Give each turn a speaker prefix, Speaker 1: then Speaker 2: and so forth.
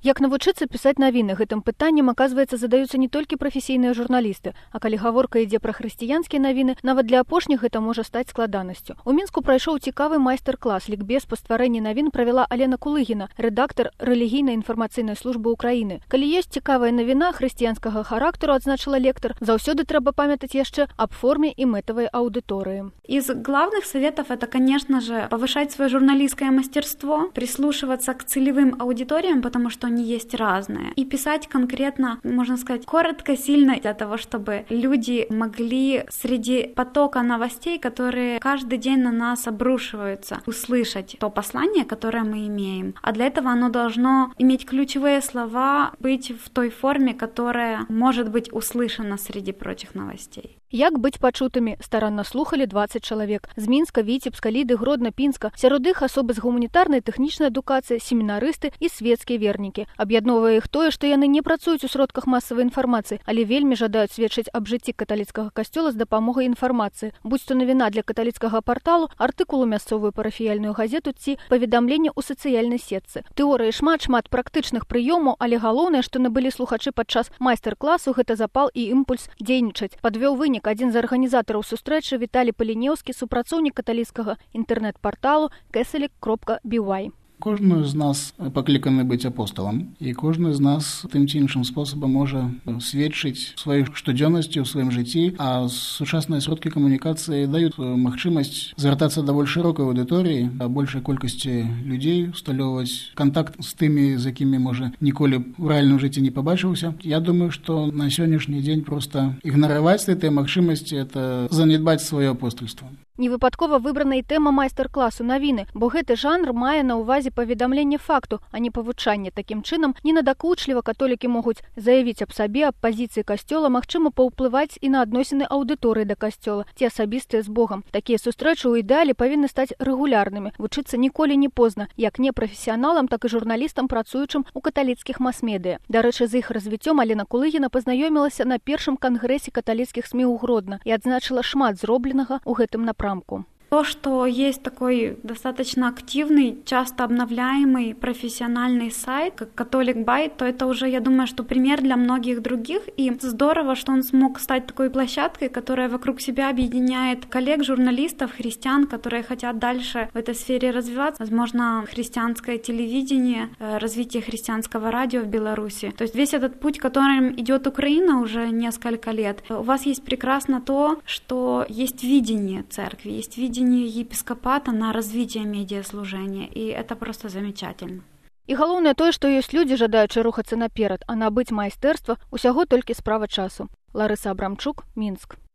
Speaker 1: Як навучыцца пісаць навіны? Гэтым пытаннем, аказваецца, задаюцца не толькі прафесійныя журналісты, а калі гаворка ідзе пра хрысціянскія навіны, нават для апошніх гэта можа стаць складанасцю. У Мінску прайшоў цікавы майстар-клас лікбез па стварэнні навін правяла Алена Кулыгіна, рэдактар рэлігійнай інфармацыйнай службы Украіны. Калі ёсць цікавая навіна хрысціянскага характару, адзначыла лектар, заўсёды трэба памятаць яшчэ аб форме і мэтавай аўдыторыі.
Speaker 2: Из главных советов это, конечно же, повышать свое журналистское мастерство, прислушиваться к целевым аудиториям, потому что они есть разные, и писать конкретно, можно сказать, коротко, сильно, для того, чтобы люди могли среди потока новостей, которые каждый день на нас обрушиваются, услышать то послание, которое мы имеем. А для этого оно должно иметь ключевые слова, быть в той форме, которая может быть услышана среди прочих новостей.
Speaker 1: Як быць пачутымі? Старанна слухалі 20 чалавек. З Мінска, Віцебска, Ліды, Гродна, Пінска. Сярод іх асобы з гуманітарнай, тэхнічнай адукацыі, семінарысты і свецкія вернікі. Аб'ядноўвае іх тое, што яны не працуюць у сродках масавай інфармацыі, але вельмі жадаюць сведчыць аб жыцці каталіцкага касцёла з дапамогай інфармацыі. Будь-то навіна для каталіцкага парталу, артыкул у мясцовую парафіяльную газету ці паведамленне ў сацыяльнай сетцы. Тэорыі шмат практычных прыёмаў, але галоўнае, што набылі слухачы падчас майстар-класу, гэта запал і імпульс дзейнічаць. Падвёў вынік адзін з арганізатараў сустрэчы Віталій Палінеўскі, супрацоўнік каталіцкага інтэрнэт-парталу catholic.by.
Speaker 3: Кожны з нас пакліканы быць апосталам, і кожны з нас тым ці іншым спосабам можа сведчыць сваёй штодзённасцю ў сваім жыцці, а сучасныя сродкі камунікацыі даюць магчымасць звяртацца да больш шырокай аўдыторыі, да большай колькасці людзей, усталёўваць кантакт з тымі, з якімі, можа, ніколі ў рэальным жыцці не пабачыўся. Я думаю, што на сённяшні дзень проста ігнараваць гэтыя магчымасці – это занядбаць сваё апостальства.
Speaker 1: Невыпадкова выбрана і тэма майстар-класу навіны, бо гэты жанр мае на ўвазе паведамленне факту, а не павучанне. Такім чынам, ненадакучліва католікі могуць заявіць аб сабе, аб пазіцыі касцёла, магчыма паўплываць і на адносіны аўдыторыі да касцёла, ці асабістыя з Богам. Такія сустрэчы ў ідэале павінны стаць рэгулярнымі. Вучыцца ніколі не позна, як непрафесіяналам, так і журналістам, працуючым у каталіцкіх мас-медыя. Дарэчы, з іх развіццём Алена Кулыгіна пазнаёмілася на першым кангрэсе каталіцкіх СМІ ў Гродна і адзначыла шмат зробленага ў гэтым напрамку.
Speaker 2: То, что есть такой достаточно активный, часто обновляемый профессиональный сайт, как Catholic.by, то это уже, я думаю, что пример для многих других. И здорово, что он смог стать такой площадкой, которая вокруг себя объединяет коллег, журналистов, христиан, которые хотят дальше в этой сфере развиваться. Возможно, христианское телевидение, развитие христианского радио в Беларуси. То есть весь этот путь, которым идет Украина уже несколько лет, у вас есть прекрасно то, что есть видение церкви, есть видение епископата на развитие медиаслужения, и это просто замечательно.
Speaker 1: І галоўнае тое, што ёсць людзі, жадаючы рухацца наперад, а набыць майстэрства ўсяго толькі справа часу. Ларыса Абрамчук, Мінск.